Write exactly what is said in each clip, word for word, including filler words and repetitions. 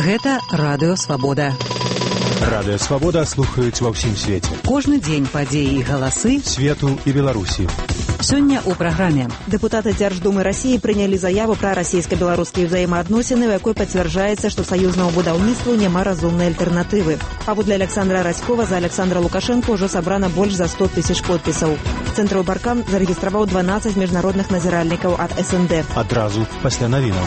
Гэта Радыё Свабода. Радыё Свабода слухаюць ва ўсім свеце. Кожны дзень падзеі і галасы свету і Беларусі. Сёння ў праграме. Дэпутаты Дзярждумы Расіі прынялі заяву пра расійска-беларускія ўзаемаадносіны, у якой пацвярджаецца, што саюзнаму будаўніцтву няма разумнай альтэрнатывы. Паводле Александра Раськова за Александра Лукашенко ўжо сабрана больш за сто тысяч подпісаў. Цэнтраў Баркан зарэгістраваў дванаццаць міжнародных назіральнікаў ад эс эн дэ. Адразу пасля навінаў.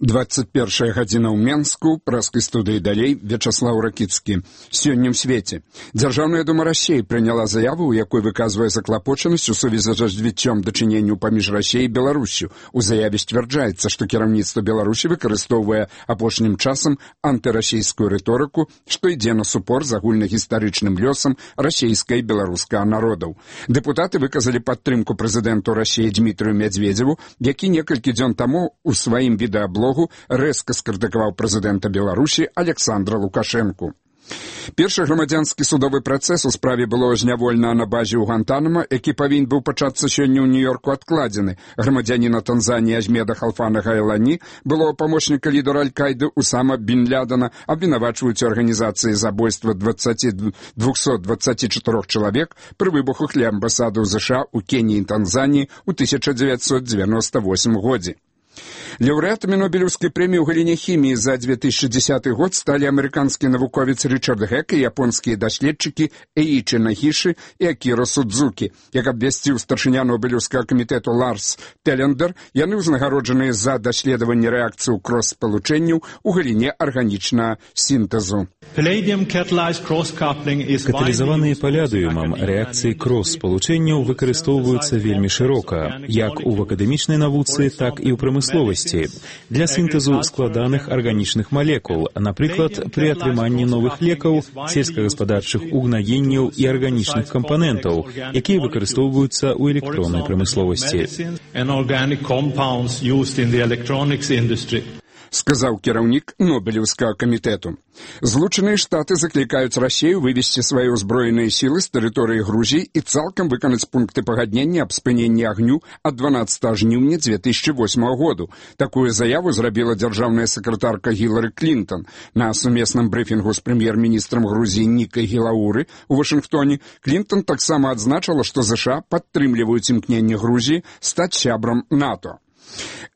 двадцать первая гадзіна ў Менску, праскай студыі далей, Вячаслаў Ракіцкі. Сёння ў свеце. Дзяржаўная дума Расіі прыняла заяву, у якой выказвае заклапочанасць у сувязі з развіццём дачыненняў паміж Расіяй і Беларусю. У заяве сцвярджаецца, што кіраўніцтва Беларусі выкарыстоўвае апошнім часам антырасійскую рыторыку, што ідзе на супор з агульнагістарычным лёсам расійскага і беларускага народаў. Дэпутаты выказалі падтрымку прэзідэнту Расіі Дмітрыю Мядзведзеву, які некалькі дзён таму у сваім відэаблогу рэзка скрытыкаваў прэзідэнта Беларусі Александра Лукашэнку. Першы грамадзянскі судовы працэс у справе было зняволена на базе ў Гуантанамо, які павінен быў пачацца сёння ў Нью-Йорку, адкладзены. Грамадзяніна Танзаніі Ажмеда Халфана Гайлані, былого памочніка лідара Аль-Кайды Усама бін Лядана, абвінавачваюць у арганізацыі забойства двухсот двадцати четырёх чалавек пры выбухах ля амбасады ў ЗША ў Кеніі і Танзаніі ў тысяча дзевяцьсот девяносто восьмым годзе. Лаўрэатамі Нобелеўскай прэміі ў галіне хіміі за две тысячи десятый год сталі амерыканскі навуковец Ричард Гек і японскія даследчыкі Эічі Нагіші і Акіра Судзукі. Як абвясціў старшыня Нобелеўскага камітэту Ларс Телендер, яны ўзнагароджаныя за даследаванне рэакцыі ў крос-спалучэнняў у галіне арганічнага сінтэзу. Каталізаваныя палядыумам рэакцыі крос-спалучэнняў выкарыстоўваюцца вельмі шырока, як у акадэмічнай навуцы, так і ў прамысловасці. Для сінтэзу складаных арганічных малекул, напрыклад, пры атрыманні новых лекаў, сельскагаспадарчых угнаенняў і арганічных кампанентаў, якія выкарыстоўваюцца ў электроннай прамысловасці. Сказаў кіраўнік Нобелеўскага камітэту. Злучаныя Штаты заклікаюць Расію вывесці свае ўзброеныя сілы з тэрыторыі Грузіі і цалкам выканаць пункты пагаднення аб спыненні агню ад дванаццатага жніўня две тысячи восьмага году. Такую заяву зрабіла дзяржаўная сакратарка Гілары Клінтон. На сумесным брыфінгу з прэм'ер-міністрам Грузіі Нікай Гілауры ў Вашынгтоне Клінтон таксама адзначыла, што ЗША падтрымліваюць імкненне Грузіі стаць сябрам НАТО.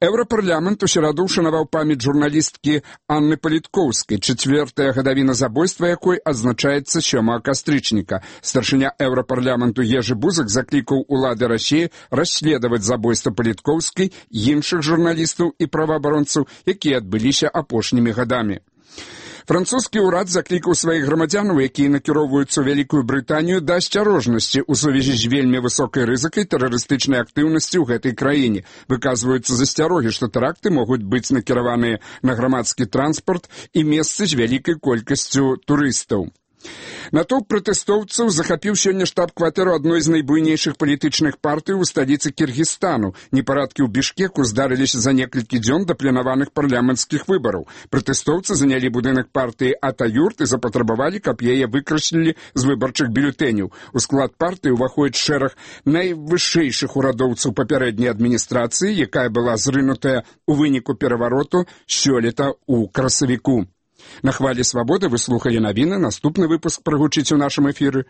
Еўрапарламент у сераду ушанаваў памяць журналісткі Анны Паліткоўскай, чацвёртая гадавіна забойства якой адзначаецца сёмага кастрычніка. Старшыня Еўрапарламенту Ежы Бузак заклікаў улады Расіі расследаваць забойства Паліткоўскай, іншых журналістаў і праваабаронцаў, якія адбыліся апошнімі гадамі. Французскі ўрад заклікаў сваіх грамадзянаў, якія накіроўваюцца ў Вялікую Брытанію, да асцярожнасці ў сувязі з вельмі высокай рызыкай тэрарыстычнай актыўнасці ў гэтай краіне. Выказваюцца засцярогі, што тэракты могуць быць накіраваныя на грамадскі транспарт і месцы з вялікай колькасцю турыстаў. Натоўп пратэстоўцаў захапіў сёння штаб-кватэру адной з найбуйнейшых палітычных партый у сталіцы Кіргізстану. Непарадкі ў Бішкеку здарыліся за некалькі дзён да планаваных парламенцкіх выбараў. Пратэстоўцы занялі будынак партыі Атаюрт і запатрабавалі, каб яе выкраслілі з выбарчых бюлетэняў. У склад партыі ўваходзіць шэраг найвышэйшых урадоўцаў папярэдняй адміністрацыі, якая была зрынутая ў выніку перавароту сёлета ў красавіку. На хвалі Свабоды вы слухалі навіны. Наступны выпуск прагучыць у нашым эфіры